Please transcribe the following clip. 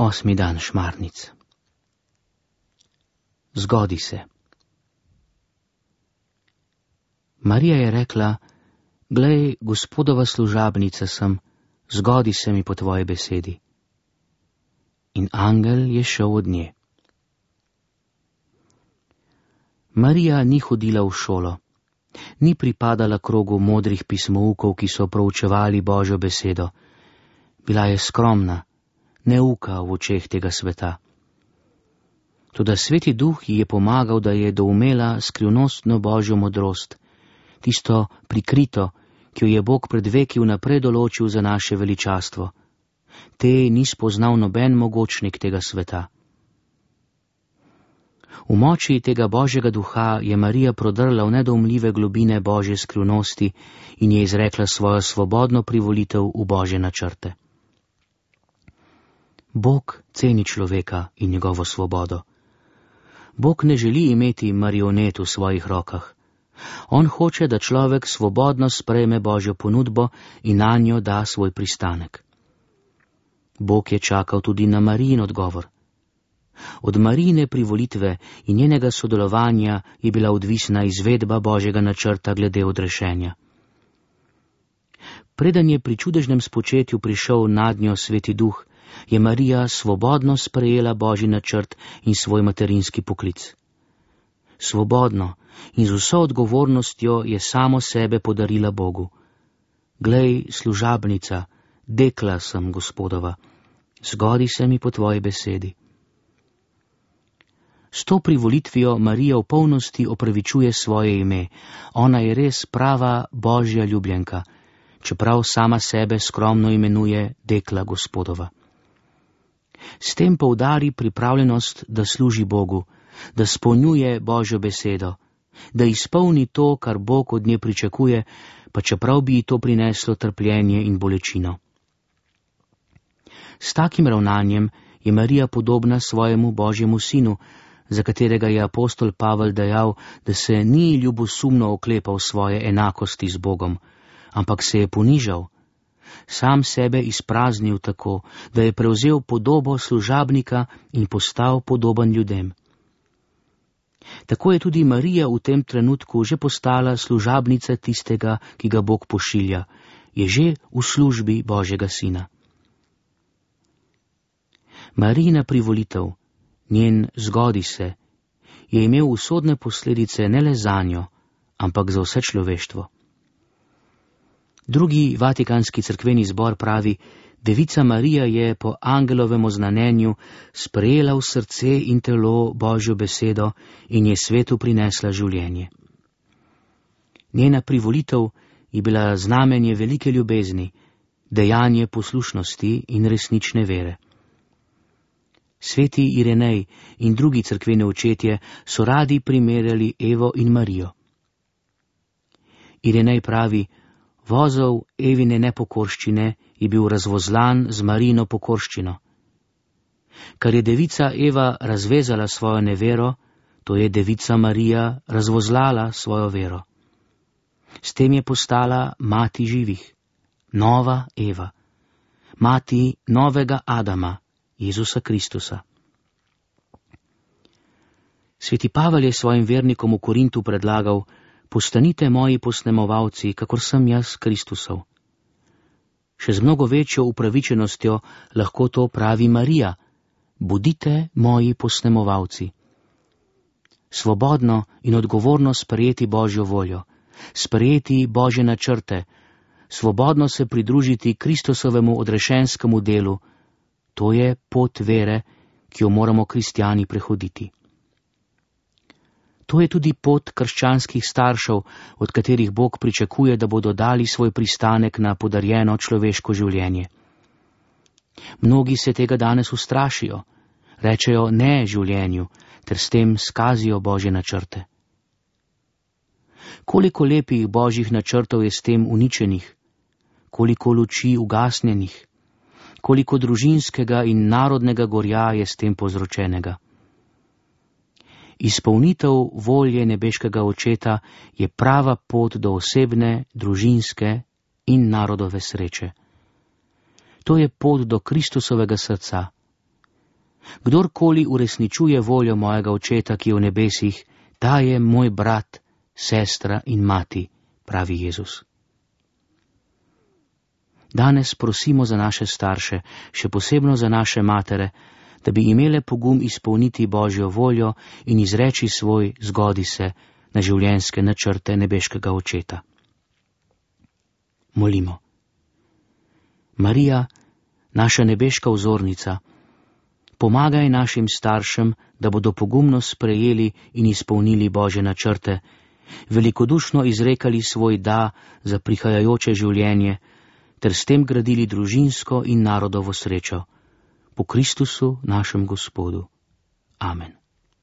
8. dan šmarnic. Zgodi se. Marija je rekla: Glej, Gospodova služabnica sem, zgodi se mi po tvoji besedi. In angel je šel od nje. Marija ni hodila v šolo, ni pripadala krogu modrih pismoukov, ki so proučevali Božjo besedo. Bila je skromna, neuka v očeh tega sveta. Toda Sveti Duh ji je pomagal, da je doumela skrivnostno Božjo modrost, tisto prikrito, ki jo je Bog pred veki vnaprej določil za naše veličastvo. Te ni spoznal noben mogočnik tega sveta. V moči tega Božjega duha je Marija prodrla v nedoumljive globine Božje skrivnosti in je izrekla svojo svobodno privolitev v Božje načrte. Bog ceni človeka in njegovo svobodo. Bog ne želi imeti marionet v svojih rokah. On hoče, da človek svobodno sprejme Božjo ponudbo in na njo da svoj pristanek. Bog je čakal tudi na Marijin odgovor. Od Marijine privolitve in njenega sodelovanja je bila odvisna izvedba Božjega načrta glede odrešenja. Preden je pri čudežnem spočetju prišel nadnjo Sveti Duh, je Marija svobodno sprejela Božji načrt in svoj materinski poklic. Svobodno in z vso odgovornostjo je samo sebe podarila Bogu. Glej, služabnica, dekla sem Gospodova, zgodi se mi po tvoji besedi. S to privolitvijo Marija v polnosti opravičuje svoje ime. Ona je res prava Božja ljubljenka, čeprav sama sebe skromno imenuje dekla Gospodova. S tem poudari pripravljenost, da služi Bogu, da spolnjuje Božjo besedo, da izpolni to, kar Bog od nje pričakuje, pa čeprav bi ji to prineslo trpljenje in bolečino. S takim ravnanjem je Marija podobna svojemu Božjemu sinu, za katerega je apostol Pavel dejal, da se ni ljubosumno oklepal svoje enakosti z Bogom, ampak se je ponižal, sam sebe izpraznil tako, da je prevzel podobo služabnika in postal podoben ljudem. Tako je tudi Marija v tem trenutku že postala služabnica tistega, ki ga Bog pošilja, je že v službi Božjega sina. Marijina privolitev, njen zgodi se, je imel usodne posledice ne le zanjo, ampak za vse človeštvo. Drugi Vatikanski cerkveni zbor pravi: Devica Marija je po angelovem oznanjenju sprejela v srce in telo Božjo besedo in je svetu prinesla življenje. Njena privolitev je bila znamenje velike ljubezni, dejanje poslušnosti in resnične vere. Sveti Irenej in drugi cerkveni očetje so radi primerjali Evo in Marijo. Irenej pravi: Vozov Evine nepokorščine je bil razvozlan z Marijino pokorščino. Kar je devica Eva razvezala svojo nevero, to je devica Marija razvozlala svojo vero. S tem je postala mati živih, nova Eva, mati novega Adama, Jezusa Kristusa. Sveti Pavel je svojim vernikom v Korintu predlagal: Postanite moji posnemovalci, kakor sem jaz Kristusov. Še z mnogo večjo upravičenostjo lahko to pravi Marija: Bodite moji posnemovalci. Svobodno in odgovorno sprejeti Božjo voljo, sprejeti Božje načrte, svobodno se pridružiti Kristusovemu odrešenskemu delu, to je pot vere, ki jo moramo kristjani prehoditi. To je tudi pot krščanskih staršev, od katerih Bog pričakuje, da bodo dali svoj pristanek na podarjeno človeško življenje. Mnogi se tega danes ustrašijo, rečejo ne življenju, ter s tem skazijo Božje načrte. Koliko lepih Božjih načrtov je s tem uničenih, koliko luči ugasnjenih, koliko družinskega in narodnega gorja je s tem povzročenega. Izpolnitev volje nebeškega Očeta je prava pot do osebne, družinske in narodove sreče. To je pot do Kristusovega srca, Kdorkoli uresničuje voljo mojega Očeta, ki je v nebesih, ta je moj brat, sestra in mati, pravi Jezus. Danes prosimo za naše starše, še posebno za naše matere, da bi imele pogum izpolniti Božjo voljo in izreči svoj zgodi se na življenjske načrte nebeškega Očeta. Molimo. Marija, naša nebeška vzornica, pomagaj našim staršem, da bodo pogumno sprejeli in izpolnili Božje načrte, velikodušno izrekali svoj da za prihajajoče življenje, ter s tem gradili družinsko in narodovo srečo. Po Kristusu, našem Gospodu. Amen.